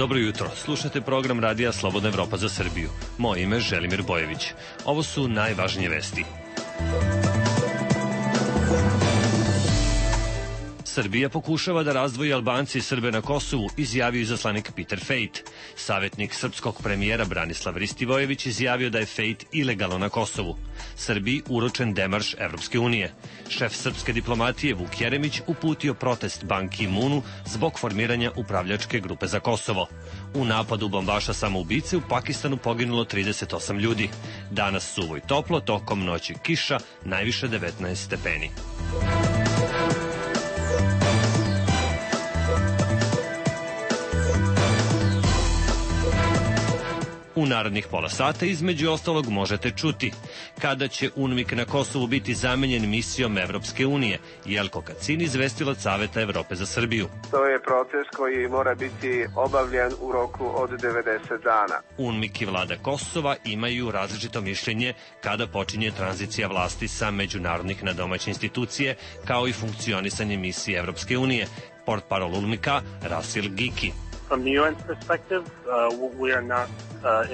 Dobro jutro, slušate program Radija Slobodna Evropa za Srbiju. Moje ime je Želimir Bojević. Ovo su najvažnije vesti. Srbija pokušava da razdvoji Albance i Srbe na Kosovu, izjavio izaslanik Peter Fejt. Savjetnik srpskog premijera Branislav Ristivojević izjavio da je Fejt ilegalno na Kosovu. Srbiji uručen demarš Evropske unije. Šef srpske diplomatije Vuk Jeremić uputio protest Ban Ki-moonu zbog formiranja upravljačke grupe za Kosovo. U napadu bombaša samoubice u Pakistanu poginulo 38 ljudi. Danas suvo i toplo, tokom noći kiša, najviše 19 stepeni. U narednih pola sata između ostalog možete čuti kada će UNMIK na Kosovu biti zamenjen misijom Evropske unije. Jelko Kacin, izvestilac Saveta Evrope za Srbiju. To je proces koji mora biti obavljen u roku od 90 dana. UNMIK i vlada Kosova imaju različito mišljenje kada počinje tranzicija vlasti sa međunarodnih na domaće institucije, kao i funkcionisanje misije Evropske unije. Portparol UNMIK-a Rasil Giki. From the UN's perspective, we are not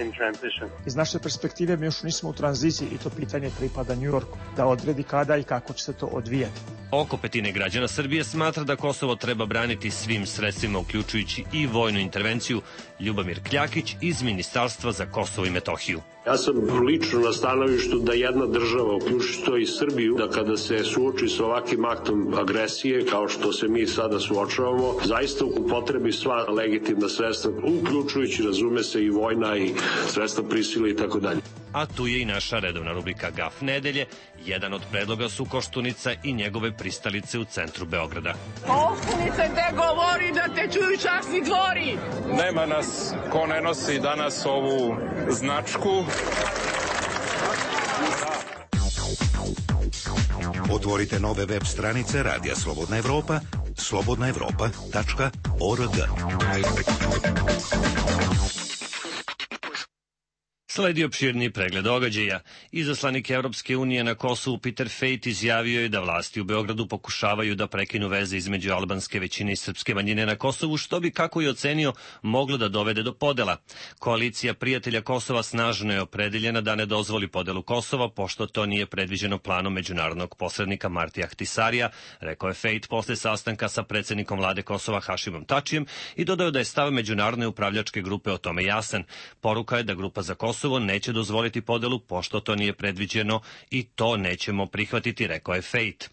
in transition. Iz naše perspektive mi još nismo u tranziciji i to pitanje pripada New Yorku da odredi kada i kako će se to odvijati. Oko petine građana Srbije smatra da Kosovo treba braniti svim sredstvima, uključujući i vojnu intervenciju. Ljubomir Kljakić iz Ministarstva za Kosovo i Metohiju. Ja sam lično na stanovištu da jedna država, uključujući to i Srbiju, da kada se suoči sa ovakvim aktom agresije, kao što se mi sada suočavamo, zaista upotrebi sva legitimna sredstva, uključujući, razume se, i vojna i sredstva prisile i tako dalje. A tu je i naša redovna rubrika Gaf nedelje. Jedan od predloga su Koštunica i njegove pristalice u centru Beograda. Koštunica te govori da te čuju časni dvori. Nema nas ko ne nosi danas ovu značku. Otvorite nove web stranice Radija Slobodna Evropa, slobodnaevropa.org. Sledi opširni pregled događaja. Izaslanik Evropske unije na Kosovu Peter Fejt izjavio je da vlasti u Beogradu pokušavaju da prekinu veze između albanske većine i srpske manjine na Kosovu, što bi, kako je ocenio, moglo da dovede do podela. Koalicija prijatelja Kosova snažno je opredeljena da ne dozvoli podelu Kosova, pošto to nije predviđeno planom međunarodnog posrednika Martija Ahtisarija, rekao je Fejt posle sastanka sa predsednikom vlade Kosova Hašimom Tačijem i dodao da je stav međunarodne upravljačke grupe o tome jasan. Poruka je da grupa za Kosovo neće dozvoliti podelu, pošto to nije predviđeno i to nećemo prihvatiti, rekao je Fejt.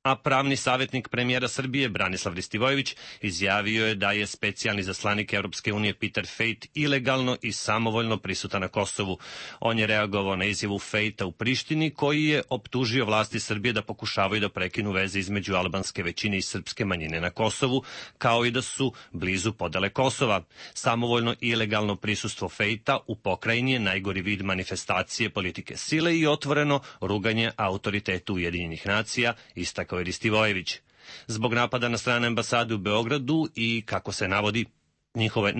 A pravni savjetnik premijera Srbije Branislav Ristivojević izjavio je da je specijalni zaslanik Evropske unije Peter Fejt ilegalno i samovoljno prisutan na Kosovu. On je reagovao na izjavu Fejta u Prištini, koji je optužio vlasti Srbije da pokušavaju da prekinu veze između albanske većine i srpske manjine na Kosovu, kao i da su blizu podele Kosova. Samovoljno i ilegalno prisustvo Fejta u pokrajini je najgori vid manifestacije politike sile i otvoreno ruganje autoritetu Ujedinjenih nacija, istakao je Ristivojević. Zbog napada na strane ambasade u Beogradu i, kako se navodi, njihove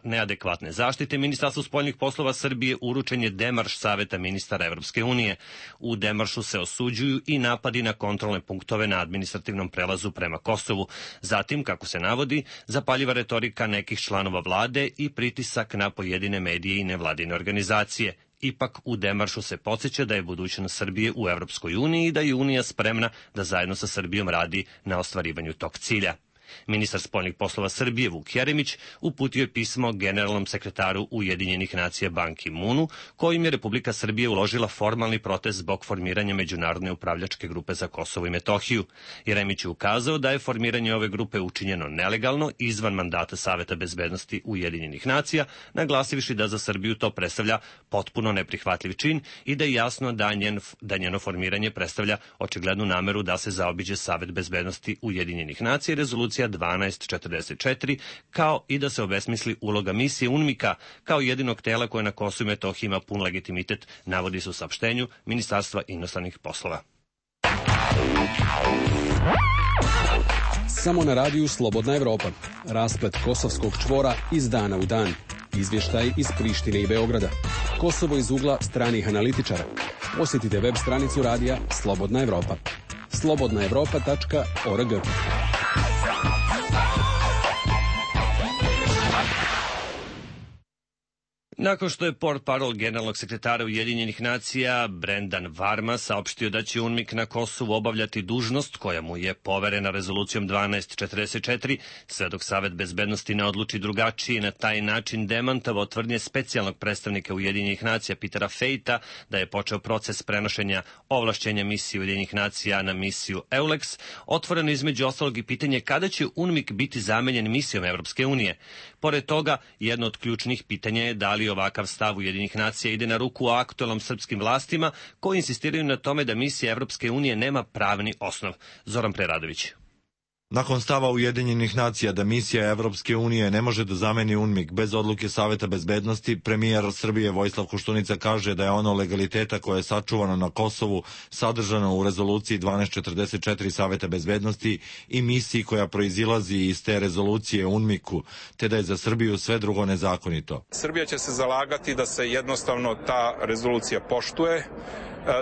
neadekvatne zaštite, Ministarstvo spoljnih poslova Srbije uručen je demarš Saveta ministara Evropske unije. U demaršu se osuđuju i napadi na kontrolne punktove na administrativnom prelazu prema Kosovu. Zatim, kako se navodi, zapaljiva retorika nekih članova vlade i pritisak na pojedine medije i nevladine organizacije. Ipak u demaršu se podsjeća da je budućnost Srbije u Evropskoj uniji i da je Unija spremna da zajedno sa Srbijom radi na ostvarivanju tog cilja. Ministar spoljnih poslova Srbije Vuk Jeremić uputio je pismo generalnom sekretaru Ujedinjenih nacija Ban Ki-moonu, kojim je Republika Srbije uložila formalni protest zbog formiranja međunarodne upravljačke grupe za Kosovo i Metohiju. Jeremić je ukazao da je formiranje ove grupe učinjeno nelegalno, izvan mandata Saveta bezbednosti Ujedinjenih nacija, naglasivši da za Srbiju to predstavlja potpuno neprihvatljiv čin i da je jasno da njeno formiranje predstavlja očiglednu nameru da se zaobiđe Savet bezbednosti Ujedinjenih nacija i rezolucija 1244, kao i da se obesmisli uloga misije UNMIK-a kao jedinog tela koje na Kosovu i Metohiji ima pun legitimitet, navodi se u saopštenju Ministarstva inostranih poslova. Samo na radiju Slobodna Evropa. Rasplet kosovskog čvora iz dana u dan. Izvještaj iz Prištine i Beograda. Kosovo iz ugla stranih analitičara. Posjetite web stranicu radija Slobodna Evropa. slobodnaevropa.org. Nakon što je portparol generalnog sekretara Ujedinjenih nacija Brendan Varma saopštio da će UNMIK na Kosovu obavljati dužnost koja mu je poverena rezolucijom 1244, sve dok Savet bezbednosti ne odluči drugačije, na taj način demantovao tvrdnje specijalnog predstavnika Ujedinjenih nacija Petera Fejta da je počeo proces prenošenja ovlašćenja misije Ujedinjenih nacija na misiju EULEX, otvoreno između ostalog i pitanje kada će UNMIK biti zamenjen misijom Evropske unije. Pored toga, jedno od ključnih pitanja je da li ovakav stav Ujedinjenih nacija ide na ruku aktuelnom srpskim vlastima koji insistiraju na tome da misija Evropske unije nema pravni osnov. Zoran Preradović. Nakon stava Ujedinjenih nacija da misija Evropske unije ne može da zameni UNMIK bez odluke Saveta bezbednosti, premijer Srbije Vojislav Koštunica kaže da je ono legaliteta koje je sačuvano na Kosovu sadržano u rezoluciji 1244 Saveta bezbednosti i misiji koja proizilazi iz te rezolucije UNMIK-u, te da je za Srbiju sve drugo nezakonito. Srbija će se zalagati da se jednostavno ta rezolucija poštuje.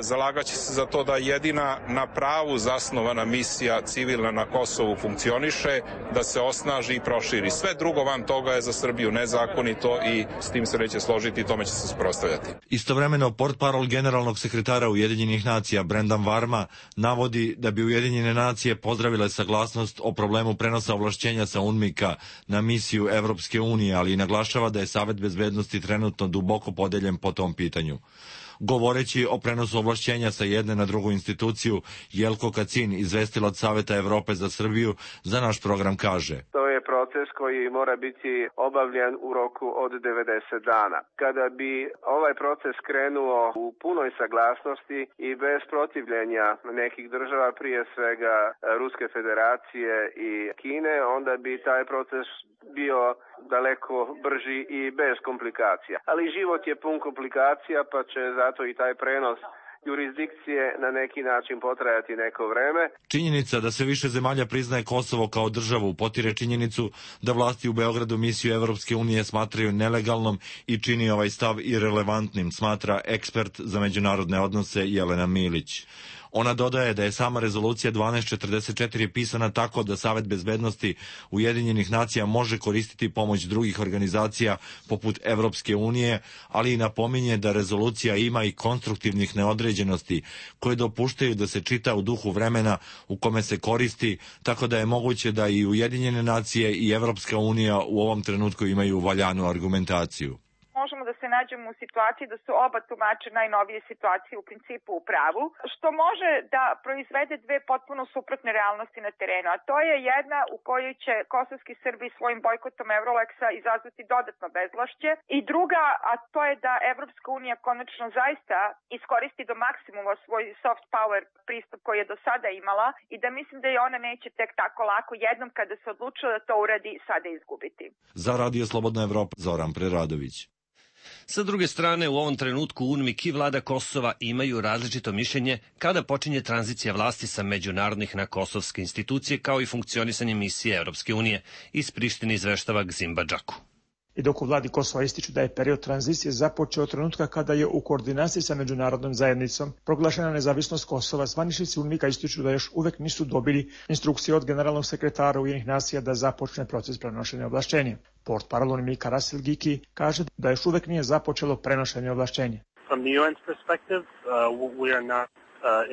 Zalagaće se za to da jedina na pravu zasnovana misija civilna na Kosovu funkcioniše, da se osnaži i proširi. Sve drugo van toga je za Srbiju nezakonito i s tim se neće složiti i tome će se suprotstavljati. Istovremeno, portparol generalnog sekretara Ujedinjenih nacija Brendan Varma navodi da bi Ujedinjene nacije pozdravile saglasnost o problemu prenosa ovlašćenja sa UNMIK-a na misiju Evropske unije, ali i naglašava da je Savet bezbednosti trenutno duboko podeljen po tom pitanju. Govoreći o prenosu ovlašćenja sa jedne na drugu instituciju, Jelko Kacin, izvestilac Saveta Evrope za Srbiju, za naš program kaže: To je proces koji mora biti obavljen u roku od 90 dana. Kada bi ovaj proces krenuo u punoj saglasnosti i bez protivljenja nekih država, prije svega Ruske federacije i Kine, onda bi taj proces bio daleko brži i bez komplikacija. Ali život je pun komplikacija, pa će zato i taj prenos jurisdikcije na neki način potrajati neko vreme. Činjenica da sve više zemalja priznaje Kosovo kao državu potire činjenicu da vlasti u Beogradu misiju Evropske unije smatraju nelegalnom i čini ovaj stav irelevantnim, smatra ekspert za međunarodne odnose Jelena Milić. Ona dodaje da je sama rezolucija 1244 pisana tako da Savet bezbednosti Ujedinjenih nacija može koristiti pomoć drugih organizacija poput Evropske unije, ali i napominje da rezolucija ima i konstruktivnih neodređenosti koje dopuštaju da se čita u duhu vremena u kome se koristi, tako da je moguće da i Ujedinjene nacije i Evropska unija u ovom trenutku imaju valjanu argumentaciju. Možemo da se nađemo u situaciji da su oba tumača najnovije situacije u principu u pravu, što može da proizvede dve potpuno suprotne realnosti na terenu, a to je jedna u kojoj će kosovski Srbi svojim bojkotom Euroleksa izazvati dodatno bezvlašće i druga, a to je da Evropska unija konačno zaista iskoristi do maksimuma svoj soft power pristup koji je do sada imala i da mislim da je ona neće tek tako lako jednom kada se odlučila da to uradi sada izgubiti. Za Radio Slobodna Evropa, Zoran Preradović. Sa druge strane, u ovom trenutku UNMIK i vlada Kosova imaju različito mišljenje kada počinje tranzicija vlasti sa međunarodnih na kosovske institucije kao i funkcionisanje misije Evropske unije. Iz Prištine izveštava Gzimba Džaku. I dok u vladi Kosova ističu da je period tranzicije započeo od trenutka kada je u koordinaciji sa međunarodnom zajednicom proglašena nezavisnost Kosova, zvaničnici UNMIK-a ističu da još uvek nisu dobili instrukcije od generalnog sekretara Ujedinjenih nacija da započne proces prenošenja ovlašćenja. Portparol UNMIK-a Russell Giki kaže da još uvek nije započelo prenošenje ovlašćenja. From the UN's perspective, we are not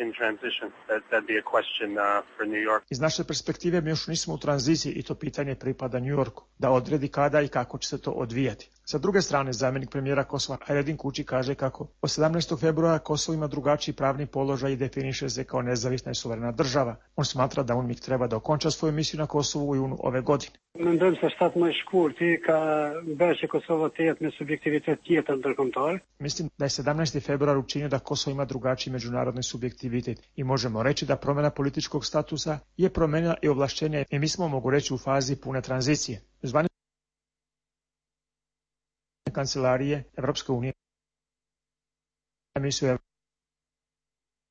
in transition. That'd be a question for New York. Iz naše perspektive mi još nismo u tranziciji i to pitanje pripada New Yorku, da odredi kada i kako će se to odvijati. Sa druge strane, zamjenik premijera Kosova Hayredin Kuči kaže kako od 17. februara Kosovo ima drugačiji pravni položaj i definiše se kao nezavisna i suverena država. On smatra da UNMIK treba da okonča svoju misiju na Kosovu u junu ove godine. Mendojmë se shtat më shkurti ka bërë që Kosovo të jetë me subjektivitet tjetër ndërkombëtar. Mislim da je 17. februar učinio da Kosovo ima drugačiji međunarodni subjektivitet i možemo reći da promjena političkog statusa je promenila i ovlašćenje i mi smo, mogu reći, u fazi pune tranzicije. Zvanične kancelarije Evropske unije misiju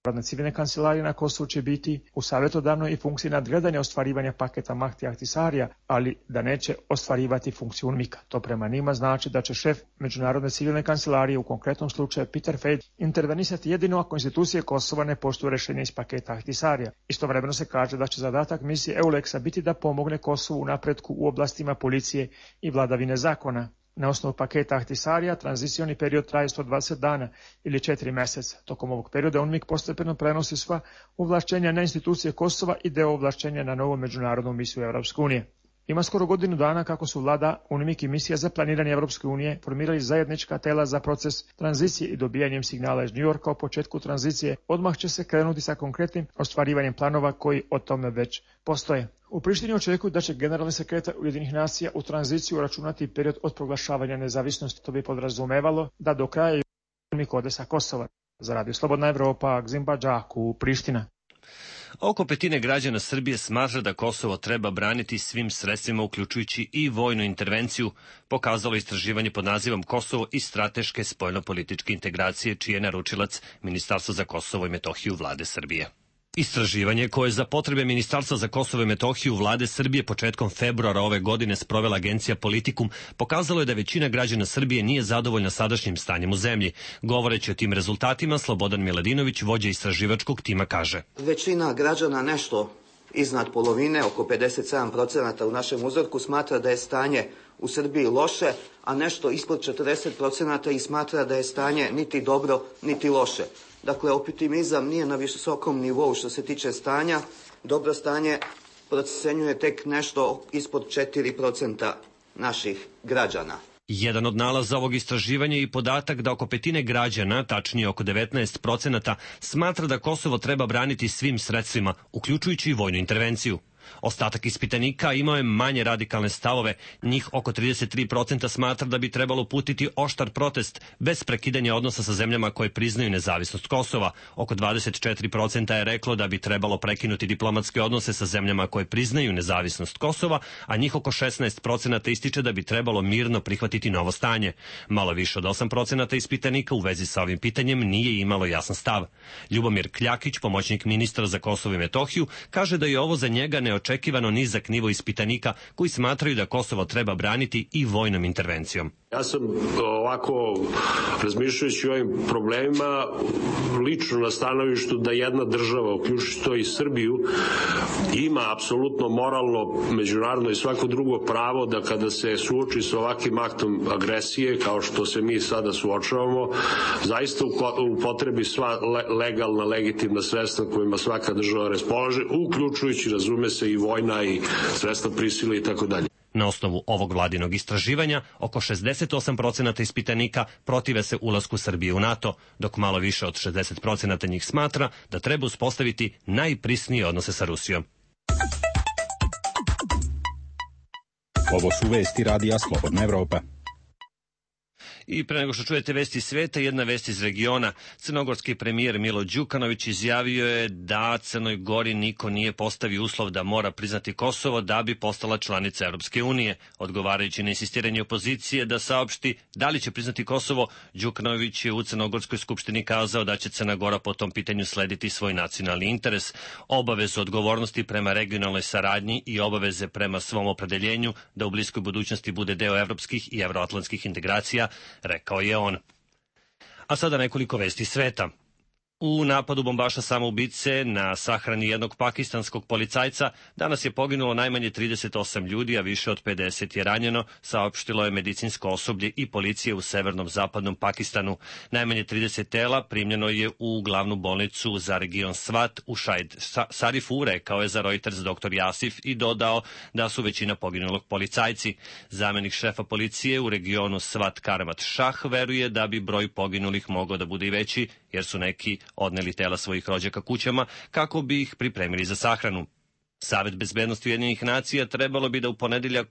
Narodne civilne kancelarije na Kosovu će biti u savjetodavnoj i funkciji nadgledanja ostvarivanja paketa Mahti Ahtisarija, ali da neće ostvarivati funkciju UNMIK-a. To prema njima znači da će šef Međunarodne civilne kancelarije, u konkretnom slučaju Peter Fejt, intervenisati jedino ako institucije Kosova ne poštuju rješenje iz paketa Ahtisarija. Istovremeno se kaže da će zadatak misije EULEX-a biti da pomogne Kosovu u napretku u oblastima policije i vladavine zakona. Na osnovu paketa Ahtisarija tranzicioni period traje 120 dana ili 4 meseca. Tokom ovog perioda UNMIK postepeno prenosi sva ovlašćenja na institucije Kosova i deo ovlašćenja na novu međunarodnu misiju Evropske unije. Ima skoro godinu dana kako su vlada, UNMIK i misija za planiranje Evropske unije formirali zajednička tela za proces tranzicije i dobijanjem signala iz Njujorka o početku tranzicije. Odmah će se krenuti sa konkretnim ostvarivanjem planova koji o tome već postoje. U Prištini očekuju da će generalni sekretar Ujedinjenih nacija u tranziciju računati period od proglašavanja nezavisnosti. To bi podrazumevalo da do kraja UNMIK ode sa Kosova. Za Radio Slobodna Evropa, Gzim Badžaku, Priština. Oko petine građana Srbije smatra da Kosovo treba braniti svim sredstvima, uključujući i vojnu intervenciju, pokazalo istraživanje pod nazivom Kosovo i strateške spoljnopolitičke integracije, čiji je naručilac Ministarstvo za Kosovo i Metohiju vlade Srbije. Istraživanje koje za potrebe Ministarstva za Kosovo i Metohiju vlade Srbije početkom februara ove godine sprovela agencija Politikum pokazalo je da većina građana Srbije nije zadovoljna sadašnjim stanjem u zemlji. Govoreći o tim rezultatima, Slobodan Miladinović, vođa istraživačkog tima, kaže: Većina građana, nešto iznad polovine, oko 57% u našem uzorku, smatra da je stanje u Srbiji loše, a nešto ispod 40% i smatra da je stanje niti dobro, niti loše. Dakle, optimizam nije na visokom nivou što se tiče stanja. Dobro stanje procenjuje tek nešto ispod 4% naših građana. Jedan od nalaza ovog istraživanja je i podatak da oko petine građana, tačnije oko 19%, smatra da Kosovo treba braniti svim sredstvima, uključujući i vojnu intervenciju. Ostatak ispitanika imao je manje radikalne stavove, njih oko 33% smatra da bi trebalo uputiti oštar protest bez prekidanja odnosa sa zemljama koje priznaju nezavisnost Kosova. Oko 24% je reklo da bi trebalo prekinuti diplomatske odnose sa zemljama koje priznaju nezavisnost Kosova, a njih oko 16% ističe da bi trebalo mirno prihvatiti novo stanje. Malo više od 8% ispitanika u vezi sa ovim pitanjem nije imalo jasan stav. Ljubomir Kljakić, pomoćnik ministra za Kosovo i Metohiju, kaže da je ovo za njega neočekivano nizak nivo ispitanika koji smatraju da Kosovo treba braniti i vojnom intervencijom. Ja sam ovako, razmišljajući o ovim problemima, lično na stanovištu da jedna država, uključujući to i Srbiju, ima apsolutno moralno, međunarodno i svako drugo pravo da kada se suoči sa ovakvim aktom agresije, kao što se mi sada suočavamo, zaista upotrebi sva legalna, legitimna sredstva kojima svaka država raspolaže, uključujući, razume se, i vojna i sredstva prisile i tako dalje. Na osnovu ovog vladinog istraživanja, oko 68% ispitanika protive se ulasku Srbije u NATO, dok malo više od 60% njih smatra da treba uspostaviti najprisnije odnose sa Rusijom. Ovo su vesti Radija Slobodna Evropa. I pre nego što čujete vesti sveta, jedna vest iz regiona. Crnogorski premijer Milo Đukanović izjavio je da Crnoj Gori niko nije postavio uslov da mora priznati Kosovo da bi postala članica Europske unije. Odgovarajući na insistiranje opozicije da saopšti da li će priznati Kosovo, Đukanović je u Crnogorskoj skupštini kazao da će Crna Gora po tom pitanju slediti svoj nacionalni interes, obavezu odgovornosti prema regionalnoj saradnji i obaveze prema svom opredeljenju da u bliskoj budućnosti bude deo evropskih i evroatlantskih integracija, rekao je on. A sada nekoliko vesti sveta. U napadu bombaša samoubice na sahrani jednog pakistanskog policajca danas je poginulo najmanje 38 ljudi, a više od 50 je ranjeno, saopštilo je medicinsko osoblje i policije u severnom zapadnom Pakistanu. Najmanje 30 tela primljeno je u glavnu bolnicu za region Svat u Šajd Sarifu, rekao je za Reuters dr. Jasif i dodao da su većina poginulog policajci. Zamenik šefa policije u regionu Svat Karmat Šah veruje da bi broj poginulih mogao da bude i veći, jer su neki odneli tela svojih rođaka kućama kako bi ih pripremili za sahranu. Savet bezbednosti Ujedinjenih nacija trebalo bi da u ponedeljak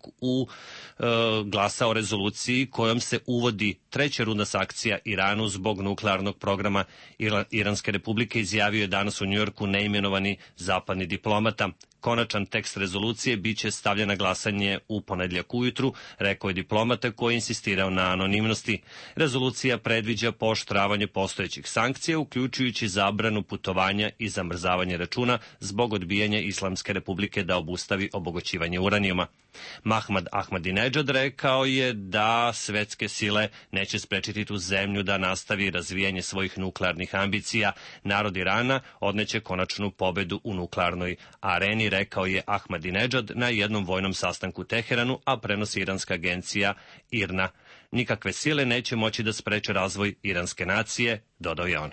glasa o rezoluciji kojom se uvodi treća runda sankcija Iranu zbog nuklearnog programa Iranske republike, izjavio je danas u Njujorku neimenovani zapadni diplomata. Konačan tekst rezolucije biće stavljen na glasanje u ponedeljak ujutru, rekao je diplomata koji je insistirao na anonimnosti. Rezolucija predviđa pooštravanje postojećih sankcija, uključujući zabranu putovanja i zamrzavanje računa zbog odbijanja Islamske republike da obustavi obogaćivanje uranijuma. Mahmad Ahmadinejad rekao je da svetske sile neće sprečiti tu zemlju da nastavi razvijanje svojih nuklearnih ambicija. Narod Irana odneće konačnu pobedu u nuklearnoj areni, rekao je Ahmadinejad na jednom vojnom sastanku u Teheranu, a prenosi iranska agencija IRNA. Nikakve sile neće moći da spreče razvoj iranske nacije, dodao je on.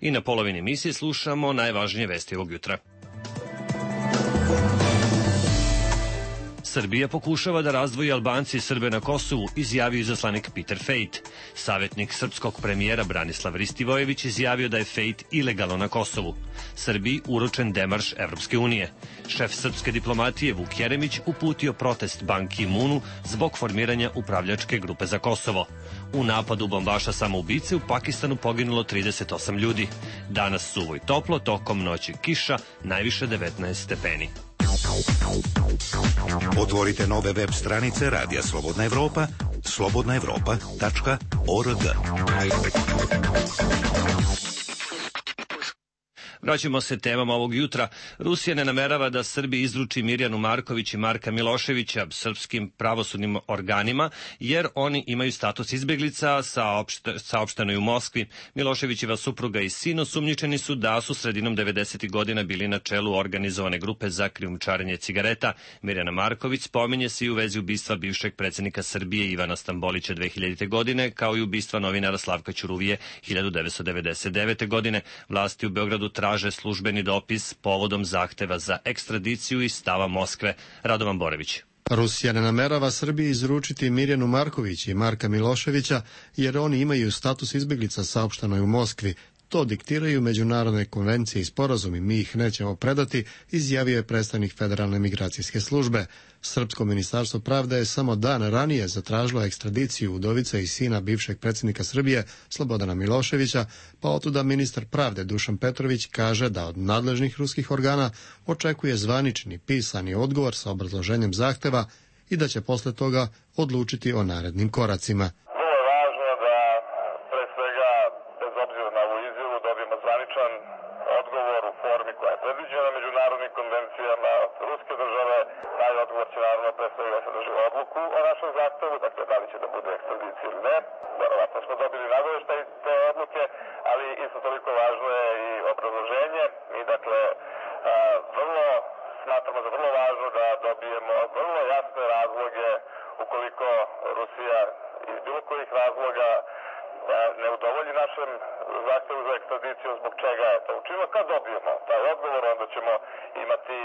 I na polovini emisije slušamo najvažnije vesti ovog jutra. Srbija pokušava da razdvoji Albance i Srbe na Kosovu, izjavio izaslanik Peter Fejt. Savjetnik srpskog premijera Branislav Ristivojević izjavio da je Fejt ilegalno na Kosovu. Srbiji uručen demarš Evropske unije. Šef srpske diplomatije Vuk Jeremić uputio protest Ban Ki-moonu zbog formiranja upravljačke grupe za Kosovo. U napadu bombaša samoubice u Pakistanu poginulo 38 ljudi. Danas suvo i toplo, tokom noći kiša, najviše 19 stepeni. Otvorite nove web stranice Radija Slobodna Evropa, slobodnaevropa.org. Vraćamo se temama ovog jutra. Rusija ne namerava da Srbiji izruči Mirjanu Marković i Marka Miloševića srpskim pravosudnim organima, jer oni imaju status izbeglica, saopšteno je u Moskvi. Miloševićeva supruga i sin osumnjičeni su da su sredinom 90. godina bili na čelu organizovane grupe za krijumčarenje cigareta. Mirjana Marković spominje se i u vezi ubistva bivšeg predsjednika Srbije Ivana Stambolića 2000. godine, kao i ubistva novinara Slavka Ćuruvije 1999. godine. Vlasti u Beogradu traže službeni dopis povodom zahteva za ekstradiciju i stava Moskve. Radovan Borović. Rusija ne namerava Srbiji izručiti Mirjanu Marković i Marka Miloševića, jer oni imaju status izbeglica, saopšteno je u Moskvi. To diktiraju međunarodne konvencije i sporazumi, mi ih nećemo predati, izjavio je predstavnik Federalne migracijske službe. Srpsko ministarstvo pravde je samo dan ranije zatražilo ekstradiciju udovice i sina bivšeg predsjednika Srbije Slobodana Miloševića, pa otuda ministar pravde Dušan Petrović kaže da od nadležnih ruskih organa očekuje zvanični pisani odgovor sa obrazloženjem zahteva i da će posle toga odlučiti o narednim koracima. Odgovor u formi koja je predviđena međunarodnim konvencijama ruske države, taj odgovor će naravno pre svega sadržati odluku o našem zahtevu, dakle da li će da bude ekstradicija ili ne. Verovatno smo dobili nagoveštaj te odluke, ali isto toliko važno je i obrazloženje i dakle smatramo za vrlo važno da dobijemo vrlo jasne razloge ukoliko Rusija iz bilo kojih razloga ne udovolji našem zahtevu za ekstradiciju, zbog čega je to učinilo. Kad dobijemo taj odgovor, onda ćemo imati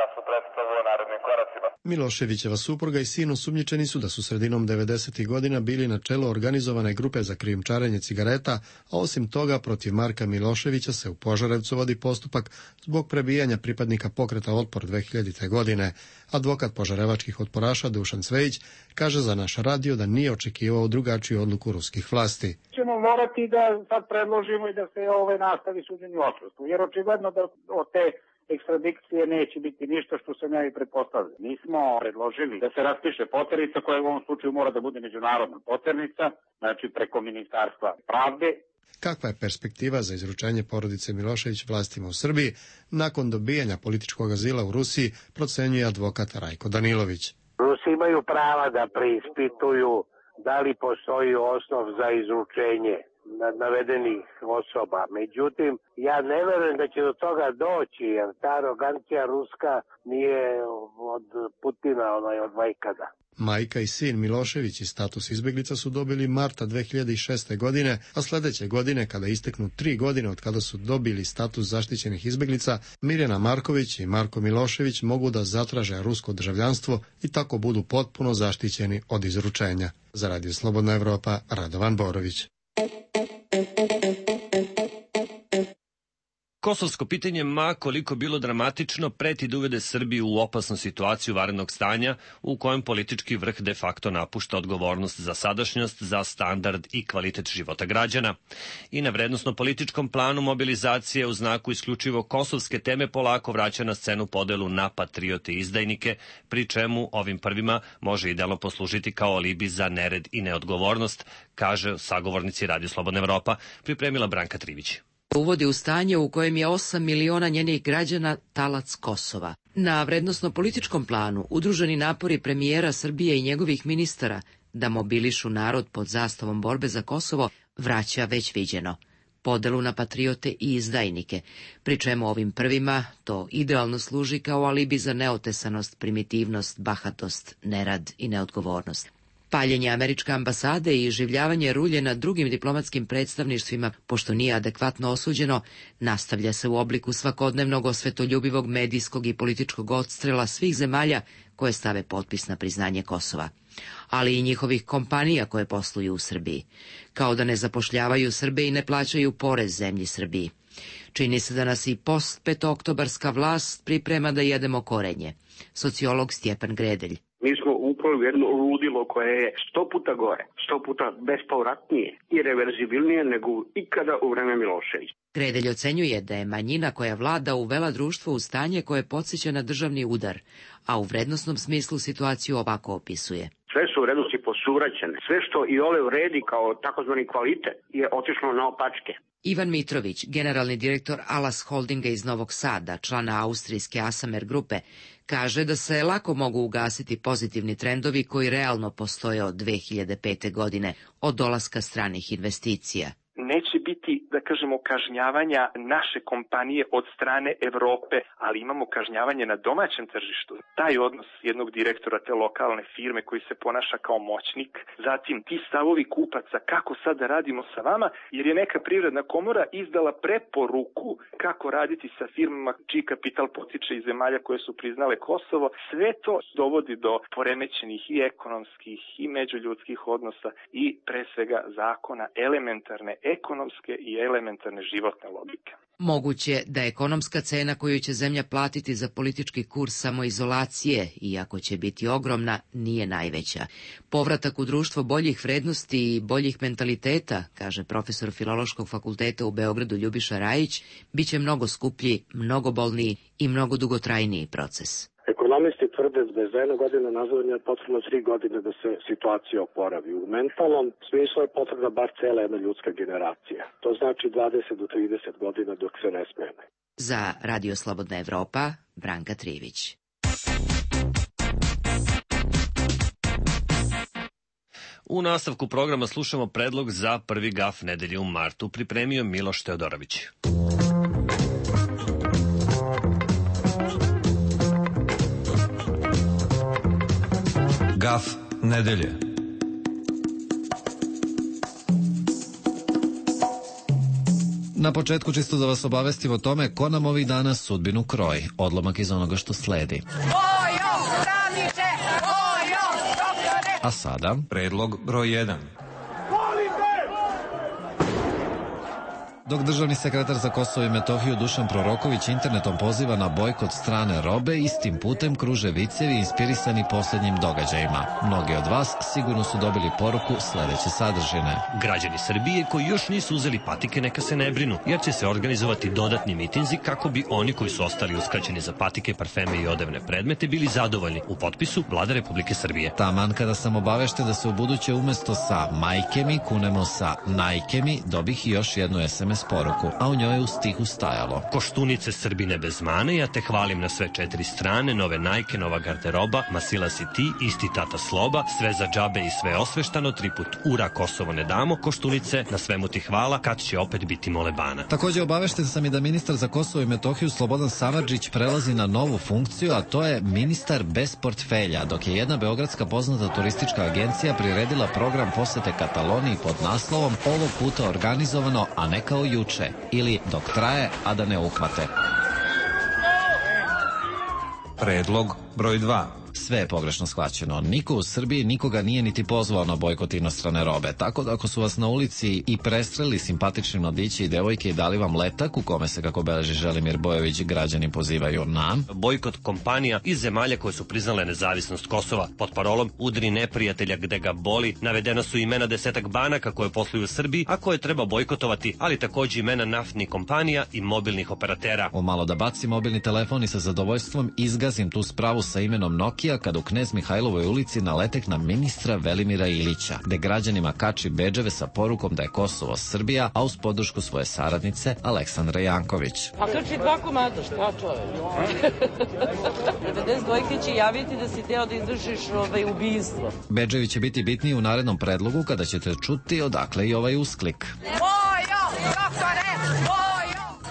jasnu predstavu o narednim koracima. Miloševićeva supruga i sin osumnjičeni su da su sredinom 90. godina bili na čelu organizovane grupe za krijumčarenje cigareta, a osim toga protiv Marka Miloševića se u Požarevcu vodi postupak zbog prebijanja pripadnika pokreta Otpor 2000. godine. Advokat požarevačkih otporaša Dušan Cvejić kaže za naš radio da nije očekivao drugačiju odluku ruskih vlasti. Ćemo morati da sad predložimo i da se nastavi suđenje u odsustvu, jer očigledno da od te ekstradikcije neće biti ništa, što sam ja i pretpostavljao. Mi smo predložili da se raspiše poternica, koja u ovom slučaju mora da bude međunarodna poternica, znači preko Ministarstva pravde. Kakva je perspektiva za izručenje porodice Milošević vlastima u Srbiji nakon dobijanja političkog azila u Rusiji, procenjuje advokat Rajko Danilović. Rusi imaju prava da preispituju da li postoji osnov za izručenje navedenih osoba. Međutim, ja ne verujem da će do toga doći, jer ta arogancija ruska nije od Putina, od vajkada. Majka i sin Milošević i status izbeglica su dobili marta 2006. godine, a sljedeće godine, kada isteknu 3 godine od kada su dobili status zaštićenih izbeglica, Mirjana Marković i Marko Milošević mogu da zatraže rusko državljanstvo i tako budu potpuno zaštićeni od izručenja. Za Radio Slobodna Evropa, Radovan Borović. Kosovsko pitanje, ma koliko bilo dramatično, preti da uvede Srbiju u opasnu situaciju vanrednog stanja u kojem politički vrh de facto napušta odgovornost za sadašnjost, za standard i kvalitet života građana. I na vrednosno-političkom planu mobilizacije u znaku isključivo kosovske teme polako vraća na scenu podelu na patriote i izdajnike, pri čemu ovim prvima može idealno poslužiti kao alibi za nered i neodgovornost, kaže sagovornici Radio Slobodna Evropa, pripremila Branka Trivić. Uvodi u stanje u kojem je 8 miliona njenih građana talac Kosova. Na vrednosno-političkom planu udruženi napori premijera Srbije i njegovih ministara da mobilišu narod pod zastavom borbe za Kosovo vraća već viđeno. podelu na patriote i izdajnike, pri čemu ovim prvima to idealno služi kao alibi za neotesanost, primitivnost, bahatost, nerad i neodgovornost. Paljenje američke ambasade i življavanje rulje na drugim diplomatskim predstavništvima, pošto nije adekvatno osuđeno, nastavlja se u obliku svakodnevnog osvetoljubivog medijskog i političkog odstrela svih zemalja koje stave potpis na priznanje Kosova, ali i njihovih kompanija koje posluju u Srbiji, kao da ne zapošljavaju Srbe i ne plaćaju porez zemlji Srbiji. Čini se da nas i post-petooktobarska vlast priprema da jedemo korenje. Sociolog Stjepan Gredelj. Mi smo upali u jedno ludilo koje je 100 puta gore, 100 puta bespovratnije i reverzibilnije nego ikada u vreme Miloševića. Gredelj ocenjuje da je manjina koja vlada uvela društvo u stanje koje podsjeća na državni udar, a u vrednosnom smislu situaciju ovako opisuje. Sve su vrednosti posuraćene. Sve što i ole vredi kao takozvani kvalitet je otišlo na opačke. Ivan Mitrović, generalni direktor Alas Holdinga iz Novog Sada, člana austrijske Asamer grupe, kaže da se lako mogu ugasiti pozitivni trendovi koji realno postoje od 2005. godine, od dolaska stranih investicija. Neće biti, da kažemo, kažnjavanja naše kompanije od strane Evrope, ali imamo kažnjavanje na domaćem tržištu. Taj odnos jednog direktora te lokalne firme koji se ponaša kao moćnik, zatim ti stavovi kupaca, kako sad da radimo sa vama, jer je neka privredna komora izdala preporuku kako raditi sa firmama čiji kapital potiče iz zemalja koje su priznale Kosovo. Sve to dovodi do poremećenih i ekonomskih i međuljudskih odnosa i pre svega zakona elementarne ekonomske i elementarne životne logike. Moguće da ekonomska cena koju će zemlja platiti za politički kurs samoizolacije, iako će biti ogromna, nije najveća. Povratak u društvo boljih vrednosti i boljih mentaliteta, kaže profesor Filološkog fakulteta u Beogradu Ljubiša Rajić, bit će mnogo skuplji, mnogo bolniji i mnogo dugotrajniji proces. Ekonomisti tvrde da je za 1 godinu nazadovanja potrebno 3 godine da se situacija oporavi. U mentalnom smislu je potrebna bar cela jedna ljudska generacija. To znači 20 do 30 godina dok se ne smene. Za Radio Slobodna Evropa, Branka Trivić. U nastavku programa slušamo predlog za prvi gaf nedelje u martu, pripremio Miloš Teodorović. Gaf nedelje. Na početku čisto da vas obavestim o tome ko nam ovih dana sudbinu kroji. Odlomak iz onoga što sledi. A sada predlog broj 1. Dok državni sekretar za Kosovo i Metohiju Dušan Proroković internetom poziva na bojkot strane robe, istim putem kruže vicevi inspirisani posljednjim događajima. Mnogi od vas sigurno su dobili poruku sledeće sadržine. Građani Srbije koji još nisu uzeli patike neka se ne brinu, jer će se organizovati dodatni mitinzi kako bi oni koji su ostali uskraćeni za patike, parfeme i odevne predmete bili zadovoljni. U potpisu Vlada Republike Srbije. Taman kada sam obavešten da se u buduće umesto sa majke mi kunemo sa najke mi, dobih i još jednu SMS poruku, a u njoj je u stihu stajalo: Koštunice Srbine bez mane, ja te hvalim na sve 4 strane, nove najke, nova garderoba, masila si ti, isti tata Sloba, sve za džabe i sve osveštano, 3 put ura, Kosovo ne damo, Koštunice, na svemu ti hvala, kad će opet biti molebana. Takođe obavešten sam i da ministar za Kosovo i Metohiju Slobodan Samardžić prelazi na novu funkciju, a to je ministar bez portfelja, dok je jedna beogradska poznata turistička agencija priredila program posete Kataloniji pod naslovom ovog puta organizovano, a ne kao juče, ili dok traje, a da ne uhvate. Predlog broj 2. Sve je pogrešno shvaćeno. Niko u Srbiji nikoga nije niti pozvao na bojkot inostrane robe, tako da ako su vas na ulici i prestreli simpatični mladići i devojke i dali vam letak u kome se, kako beleži Želimir Bojović, građani pozivaju na bojkot kompanija iz zemalja koje su priznale nezavisnost Kosova. Pod parolom udri neprijatelja gde ga boli navedena su imena 10 banaka koje posluju u Srbiji, a koje treba bojkotovati, ali takođe imena naftnih kompanija i mobilnih operatera. O malo da baci mobilni telefon i sa zadovoljstvom izgazim tu spravu sa imenom Nokia kada u Knez Mihajlovoj ulici naletek na ministra Velimira Ilića, gde građanima kači bedževe sa porukom da je Kosovo Srbija, a uz podršku svoje saradnice Aleksandra Janković. A krči 2 komada, šta čoveč? 92 će javiti da si teo da izvršiš ubijstvo. Bedževi će biti bitniji u narednom predlogu kada ćete čuti odakle i ovaj usklik. Ojo, doktore!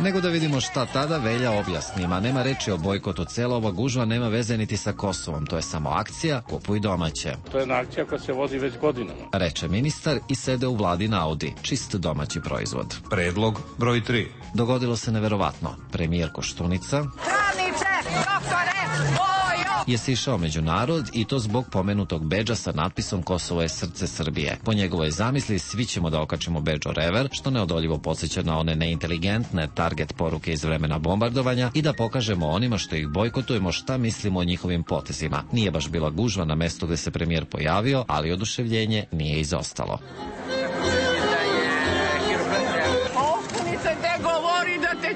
Nego da vidimo šta tada Velja objasni. Ma nema reči o bojkotu, cela ova gužva nema veze niti sa Kosovom. To je samo akcija, kupuj domaće. To je jedna akcija koja se vodi već godinama. Reče ministar i sede u vladin Audi. Čist domaći proizvod. Predlog broj 3. Dogodilo se neverovatno. Premijer Koštunica je sišao među narod i to zbog pomenutog bedža sa natpisom Kosovo je srce Srbije. Po njegovoj zamisli svi ćemo da okačimo bedž o rever, što neodoljivo podsjeća na one neinteligentne target poruke iz vremena bombardovanja i da pokažemo onima što ih bojkotujemo šta mislimo o njihovim potezima. Nije baš bila gužva na mestu gde se premijer pojavio, ali oduševljenje nije izostalo.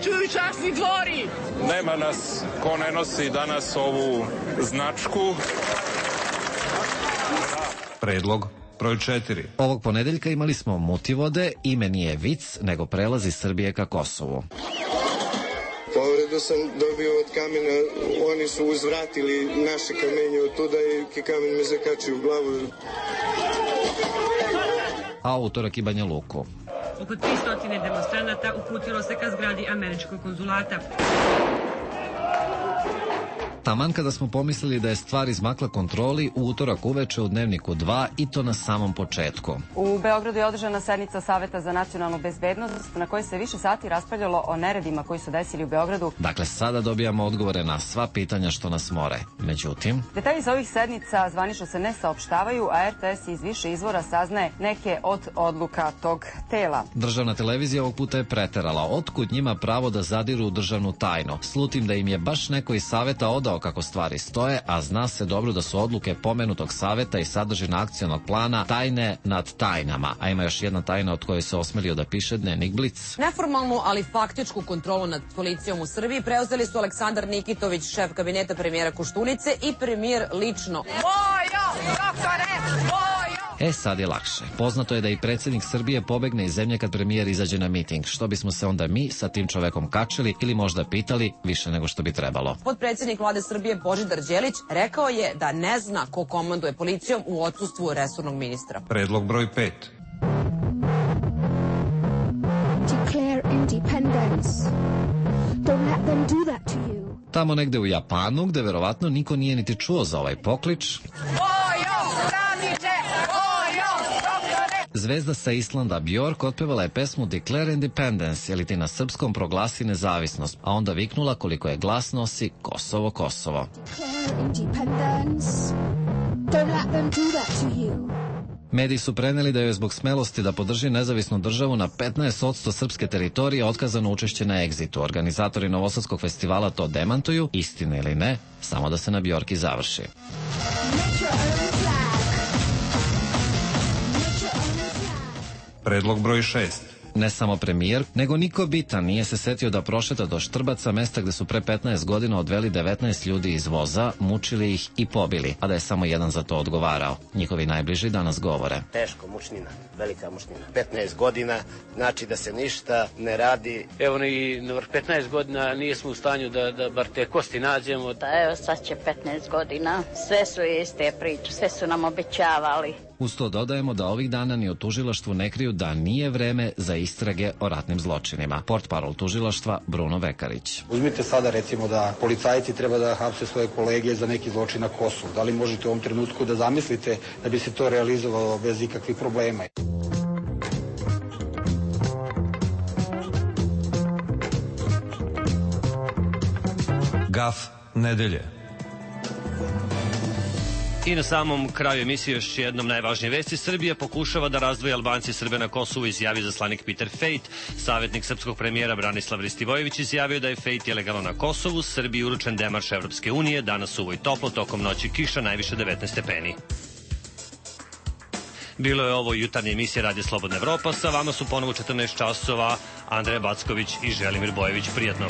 Čuju časni dvori. Nema nas ko ne nosi danas ovu značku. Predlog broj 4. Ovog ponedeljka imali smo mutivode, ime nije vic, nego prelazi Srbije ka Kosovu. Povredu sam dobio od kamena, oni su uzvratili naše kamenje od tuda i kamen me zakačio u glavu. A utorak i Banja Luku. Oko 300 demonstranata uputilo se ka zgradi američkog konzulata. Taman kada smo pomislili da je stvar izmakla kontroli, u utorak uveče u Dnevniku 2 i to na samom početku. U Beogradu je održana sednica Saveta za nacionalnu bezbednost na kojoj se više sati raspravljalo o neredima koji su desili u Beogradu. Dakle, sada dobijamo odgovore na sva pitanja što nas more. Međutim, detalji za ovih sednica zvanično se ne saopštavaju, a RTS iz više izvora saznaje neke od odluka tog tela. Državna televizija ovog puta je preterala. Otkud njima pravo da zadiru u državnu tajnu? Slutim da im je baš neko iz Saveta odao kako stvari stoje, a zna se dobro da su odluke pomenutog saveta i sadržina akcionog plana tajne nad tajnama. A ima još jedna tajna od koje se osmelio da piše Dnevnik Blic. Neformalnu, ali faktičku kontrolu nad policijom u Srbiji preuzeli su Aleksandar Nikitović, šef kabineta premijera Koštunice i premijer lično. Sad je lakše. Poznato je da i predsjednik Srbije pobegne iz zemlje kad premijer izađe na miting. Što bismo se onda mi sa tim čovekom kačili ili možda pitali više nego što bi trebalo. Potpredsjednik vlade Srbije Božidar Đelić rekao je da ne zna ko komanduje policijom u odsustvu resornog ministra. Predlog broj 5. Declare independence. Don't let them do that to you. Tamo negde u Japanu, gde verovatno niko nije niti čuo za ovaj poklič, zvezda sa Islanda Bjork otpevala je pesmu Declare Independence, ili ti na srpskom proglasi nezavisnost, a onda viknula koliko je glas nosi Kosovo, Kosovo. Mediji su preneli da je zbog smelosti da podrži nezavisnu državu na 15% srpske teritorije otkazano učešće na Egzitu. Organizatori Novosadskog festivala to demantuju, istine ili ne, samo da se na Bjorki završi. Predlog broj 6. Ne samo premijer, nego niko bitan nije se setio da prošeta do Štrbaca, mesta gde su pre 15 godina odveli 19 ljudi iz voza, mučili ih i pobili, a da je samo jedan za to odgovarao. Njihovi najbliži danas govore. Teško, mučnina, velika mučnina. 15 godina, znači da se ništa ne radi. Evo i na 15 godina nismo u stanju da bar te kosti nađemo. Evo sad će 15 godina, sve su iste priče, sve su nam obećavali. Uz to dodajemo da ovih dana ni u tužilaštvu ne kriju da nije vreme za istrage o ratnim zločinima. Portparol tužilaštva Bruno Vekarić. Uzmite sada recimo da policajci treba da hapse svoje kolege za neki zločin na Kosovu. Da li možete u ovom trenutku da zamislite da bi se to realizovalo bez ikakvih problema? Gaf nedelje. I na samom kraju emisije još jednom najvažnije vesti. Srbija pokušava da razdvoji Albanci i Srbe na Kosovu, izjavi zaslanik Peter Fejt. Savjetnik srpskog premijera Branislav Ristivojević izjavio da je Fejt ilegalno na Kosovu. Srbiji uručen demarš Evropske unije, danas suvo i toplo, tokom noći kiša, najviše 19 stepeni. Bilo je ovo jutarnje emisije Radio Slobodna Evropa. Sa vama su ponovo 14 časova Andreja Backović i Želimir Bojević. Prijatno.